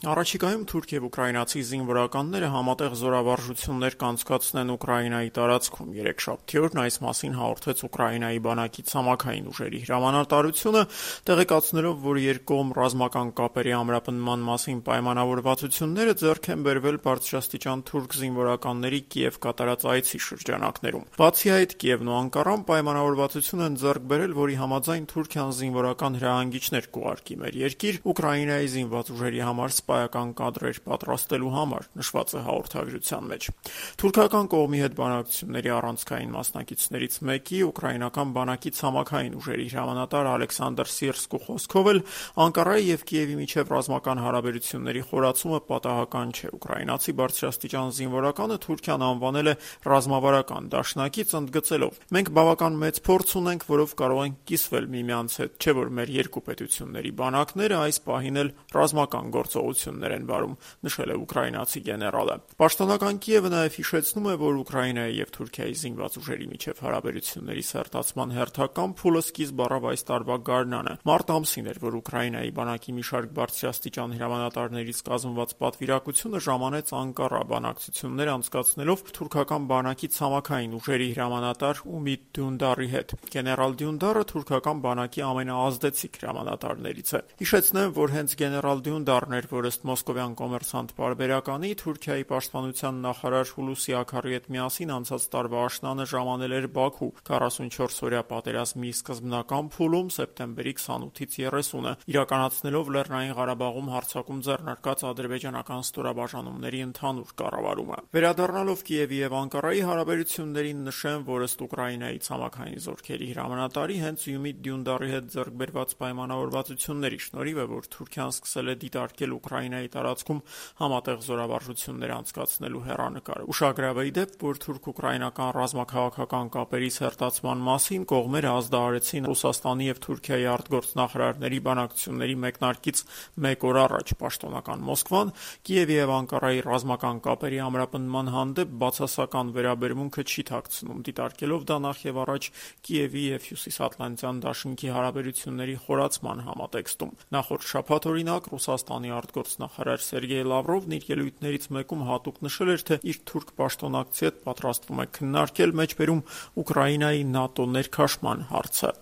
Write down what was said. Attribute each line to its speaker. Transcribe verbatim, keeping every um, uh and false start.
Speaker 1: Առաջիկայում թուրք և ուկրաինացի զինվորականները համատեղ զորավարժություններ կանցկացնեն Ուկրաինայի տարածքում։ Երեքշաբթի օրն այս մասին հաղորդեց Ուկրաինայի բանակի ցամաքային ուժերի հրամանատարությունը, տեղեկացնելով, որ երկկողմ ռազմական կապերի ամրապնդման մասին պայմանավորվածությունները ձեռք են բերվել բարձրաստիճան թուրք զինվորականների Կիև կատարած այցի շրջանակներում։ Բացի այդ, Կիևն ու Անկարան պայմանավորվածություն են ձեռք բերել, որի համաձայն Թուրքիան զինվորական հրահանգիչներ կուղարկի մեր երկիր Ուկրաինայի զինված ուժերի համար սպայական կադրեր պատրաստելու համար, նշված է հաղորդագրության մեջ։ Թուրքական կողմի հետ բանակցությունների առանցքային մասնակիցներից մեկի, ուկրաինական բանակի ցամաքային ուժերի հրամանատար Ալեքսանդր Սիրսկու խոսքով էլ Անկարայի և Կիևի միջև ռազմական հարաբերությունների խորացումը պատահական չէ։ Ուկրաինացի բարձրաստիճան զինվորականը Թուրքիան անվանել է ռազմավարական դաշնակից, ընդգծելով. «Մենք բավական մեծ փորձ ունենք, որով կարող ենք կիսվել միմյանց հետ, չէ՞ որ մեր երկու պետությունների բանակները այս պահին էլ ռազմական գործողություններ են վարում», նշել է ուկրաինացի գեներալը։ Պաշտոնական Կիևը նաև հիշեցնում է, որ Ուկրաինայի և Թուրքիայի զինված ուժերի միջև հարաբերությունների սերտացման հերթական փուլը սկիզբ առավ այս տարվա գարնանը։ Մարտ ամսին էր, որ Ուկրաինայի բանակի մի շարք բարձրաստիճան հրամանատարներից կազմված պատվիրակությունը ժամանեց Անկարա բանակցություններ անցկացնելով թուրքական բանակի ցամաքային ուժերի հրամանատար Ումիդ Դյունդարի հետ։ Գեներալ Դյունդարը թուրքական բանակի ամենաազդեցիկ հրամանատարներից է։ Հիշեցնեմ, որ հենց գեներալ Դյունդարն էր, որ ըստ մոսկովյան Կոմերսանտ պարբերականի Թուրքիայի պաշտպանության նախարար Հուլուսի Աքարի հետ միասին անցած տարվա աշնանը ժամանել էր Բաքու քառասունչորս-օրյա պատերազմի սկզբնական փուլում սեպտեմբերի քսանութից երեսունը, իրականացնելով Լեռնային Ղարաբաղում հարձակում ձեռնարկած ադրբեջանական ստորաբաժանումների ընդհանուր կառավարումը։ Վերադառնալով Կիևի և Անկարայի հարաբերություններին, նշեմ, որ ըստ Ուկրաինայի ցամաքային զորքերի հրամանատարի հենց Ումիդ Դյունդարի հետ ձեռք բերված պայմանավորվածությունների շնորհիվ է, որ Թուրքիան սկսել է դիտարկել Ուկրաինայի տարածքում համատեղ զորավարժություններ անցկացնելու հեռանկարը։ Ուշագրավ է ի դեպ, որ թուրք-ուկրաինական ռազմաքաղաքական կապերի սերտացման մասին կողմերը ազդարարեցին Ռուսաստանի և Թուրքիայի արտգործնախարարների բանակցությունների մեկնարկից մեկ օր առաջ։ Պաշտոնական Մոսկվան Կիևի և Անկարայի ռազմական կապերի ամրապնդման հանդեպ բացասական վերաբերմունքը չի թաքցնում, դիտարկելով դա նախևառաջ Կիևի և Հյուսիսատլանտյան դաշինքի հարաբերությունների խորացման համատեքստում։ Նախորդ շաբաթ, օրինակ, Ռուսաստանի արտգործնախարար Սերգեյ Լավրովն իր ելույթներից մեկում հատուկ նշել էր, թե իր թուրք պաշտոնակցի հետ պատրաստվում է քննարկել մեջբերում Ուկրաինայի ՆԱՏՕ ներքաշման հարցը։